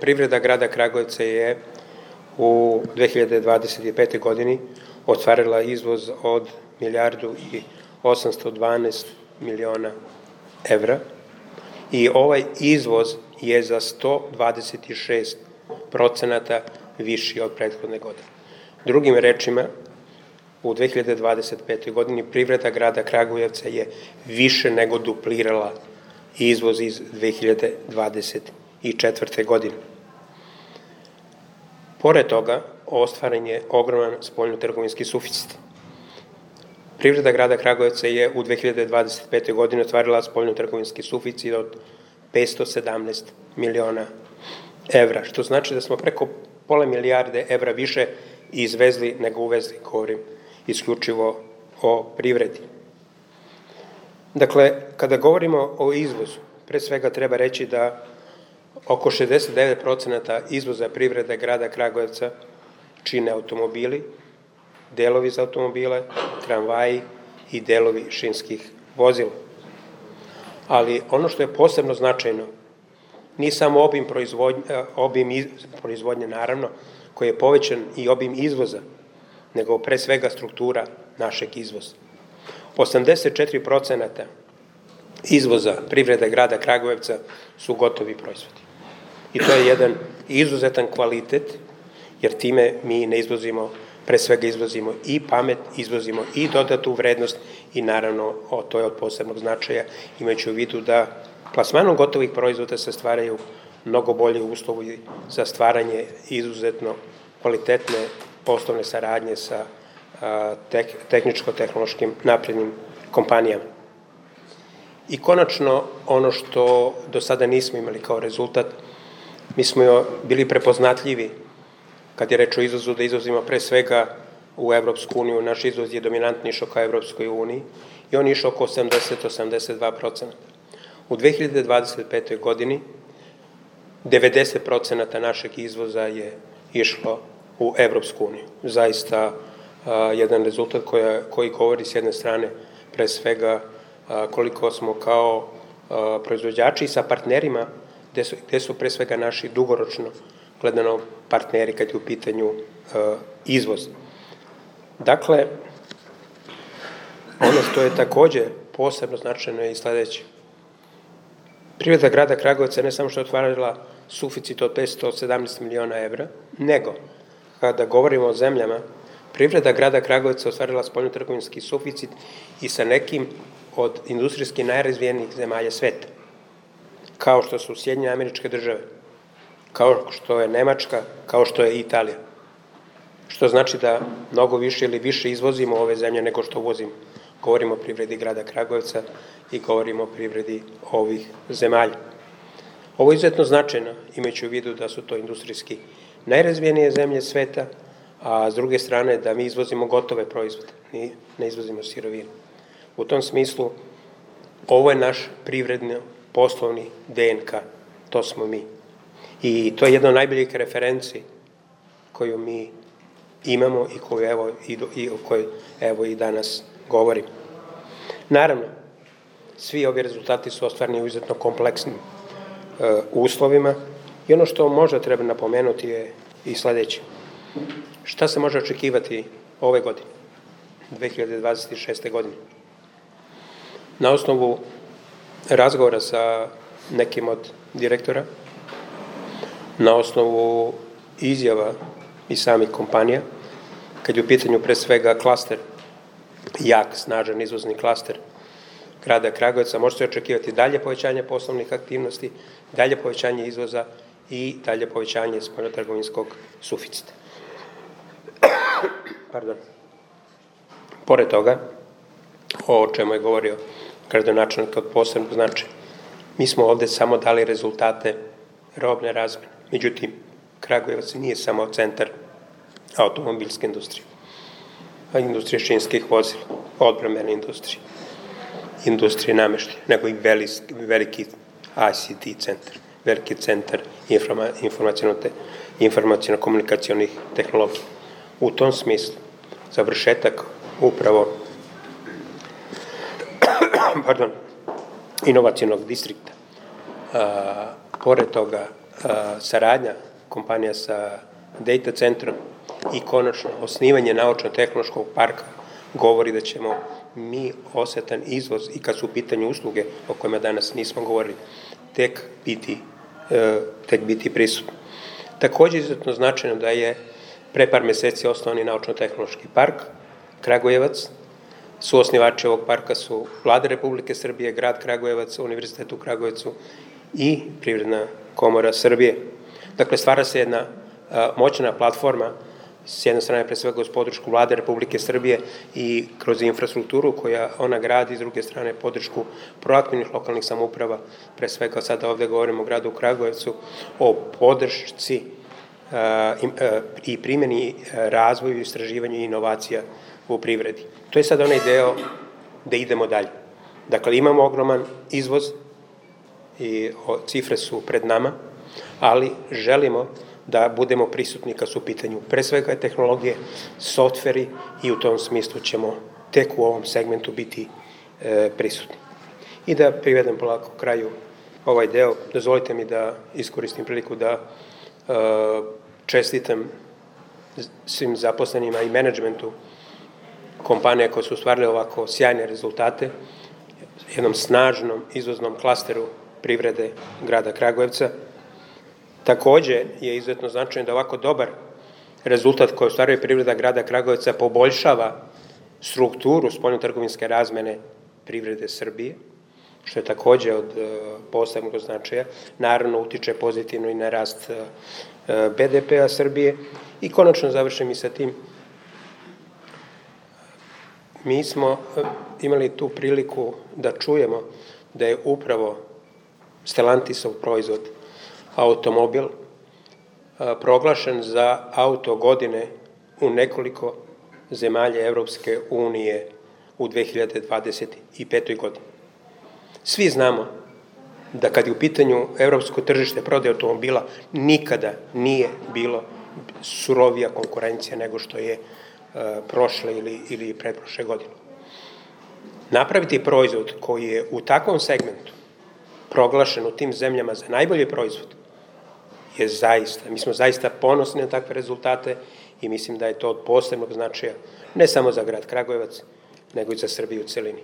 privreda grada Kragujevca je u 2025. godini ostvarila izvoz od 1.812.000.000 evra i ovaj izvoz je za 126% viši od prethodne godine. Drugim rečima, u 2025. godini privreda grada Kragujevca je više nego duplirala izvoz iz 2024. godine. Pored toga, ostvaren je ogroman spoljnotrgovinski suficit. Privreda grada Kragujevca je u 2025. godini ostvarila spoljnotrgovinski suficit od 517 miliona evra, što znači da smo preko pola milijarde evra više izvezli nego uvezli, govorim isključivo o privredi. Dakle, kada govorimo o izvozu, pre svega treba reći da oko 69% izvoza privrede grada Kragujevca čine automobili, delovi za automobile, tramvaji i delovi šinskih vozila. Ali ono što je posebno značajno, nije samo obim proizvodnje, naravno, koji je povećan i obim izvoza, nego pre svega struktura našeg izvoza. 84% izvoza privrede grada Kragujevca su gotovi proizvodi. I to je jedan izuzetan kvalitet, jer time mi ne izvozimo, pre svega izvozimo i pamet, izvozimo i dodatu vrednost i naravno to je od posebnog značaja, imajući u vidu da plasmanom gotovih proizvoda se stvaraju mnogo bolji uslovi za stvaranje izuzetno kvalitetne poslovne saradnje sa tehničko-tehnološkim naprednim kompanijama. I konačno, ono što do sada nismo imali kao rezultat, mi smo bili prepoznatljivi kad je reč o izvozu, da izvozimo pre svega u Evropsku uniju. Naš izvoz je dominantni išao ka Evropskoj uniji i on je išao oko 80-82%. U 2025. godini 90% našeg izvoza je išlo u Evropsku uniju. Zaista jedan rezultat koji govori s jedne strane pre svega koliko smo kao proizvođači sa partnerima, gde su pre svega naši dugoročno gledano partneri kad je u pitanju izvoz. Dakle, ono što je takođe posebno značajno je i sledeće. Privreda grada Kragujevca ne samo što je otvarala suficit od 517 miliona evra, nego kada govorimo o zemljama, privreda grada Kragujevca ostvarila spoljnotrgovinski suficit i sa nekim od industrijski najrazvijenijih zemalja sveta, kao što su Sjedinjene Američke Države, kao što je Nemačka, kao što je Italija. Što znači da mnogo više ili više izvozimo ove zemlje nego što uvozimo. Govorimo o privredi grada Kragujevca i govorimo o privredi ovih zemalja. Ovo je izuzetno značajno, imajući u vidu da su to industrijski najrazvijenije zemlje sveta, a s druge strane da mi izvozimo gotove proizvode, ne izvozimo sirovine. U tom smislu, ovo je naš privredno poslovni DNK, to smo mi. I to je jedna od najboljih referenci koju mi imamo i o kojoj evo i danas govorim. Naravno, svi ovi rezultati su ostvareni u izuzetno kompleksnim uslovima i ono što možda treba napomenuti je i sledeće. Šta se može očekivati ove godine, 2026. godine? Na osnovu razgovora sa nekim od direktora, na osnovu izjava i samih kompanija, kad je u pitanju pre svega klaster, jak, snažan izvozni klaster grada Kragujevca, može se očekivati dalje povećanje poslovnih aktivnosti, dalje povećanje izvoza i dalje povećanje spoljnotrgovinskog suficita. Pored toga, o čemu je govorio gradonačelnik od posebnog značaja, mi smo ovde samo dali rezultate robne razmene. Međutim, Kragujevac nije samo centar automobilske industrije, industrije šinskih vozila, odbrambene industrije, industrije nameštaja, nego i veliki ICT centar, veliki centar informaciono-komunikacionih tehnologija. U tom smislu, završetak upravo inovacionog distrikta, pored toga saradnja kompanija sa data centrom i konačno osnivanje naučno-tehnološkog parka govori da ćemo mi osetan izvoz i kad su u pitanju usluge o kojima danas nismo govorili, tek biti prisutni. Takođe izuzetno značajno da je pre par meseci osnovan i naučno-tehnološki park Kragujevac. Suosnivači ovog parka su Vlada Republike Srbije, grad Kragujevac, Univerzitet u Kragujevcu i Privredna komora Srbije. Dakle, stvara se jedna moćna platforma, s jedne strane pre svega uz podršku Vlade Republike Srbije i kroz infrastrukturu koja ona gradi, s druge strane podršku proaktivnih lokalnih samouprava, pre svega sada ovde govorimo o gradu Kragujevcu, o podršci i primjeni razvoju, istraživanju i inovacija u privredi. To je sad onaj deo da idemo dalje. Dakle, imamo ogroman izvoz i cifre su pred nama, ali želimo da budemo prisutni kad su u pitanju pre svega tehnologije, softveri i u tom smislu ćemo tek u ovom segmentu biti prisutni. I da privedem polako kraju ovaj deo, dozvolite mi da iskoristim priliku da čestitam svim zaposlenima i menadžmentu kompanije koje su ostvarile ovako sjajne rezultate, jednom snažnom izvoznom klasteru privrede grada Kragujevca. Takođe je izuzetno značajno da ovako dobar rezultat koji ostvaruje privreda grada Kragujevca poboljšava strukturu spoljnotrgovinske razmene privrede Srbije, što je takođe od posebnog značaja. Naravno, utiče pozitivno i na rast BDP-a Srbije. I konačno završim i sa tim. Mi smo imali tu priliku da čujemo da je upravo Stellantisov proizvod automobil proglašen za auto godine u nekoliko zemalja Evropske unije u 2025. godini. Svi znamo da kad je u pitanju evropsko tržište prodaje automobila nikada nije bilo surovija konkurencija nego što je prošle ili pretprošle godine. Napraviti proizvod koji je u takvom segmentu proglašen u tim zemljama za najbolji proizvod je zaista, mi smo zaista ponosni na takve rezultate i mislim da je to od posebnog značaja ne samo za grad Kragujevac, nego i za Srbiju u celini.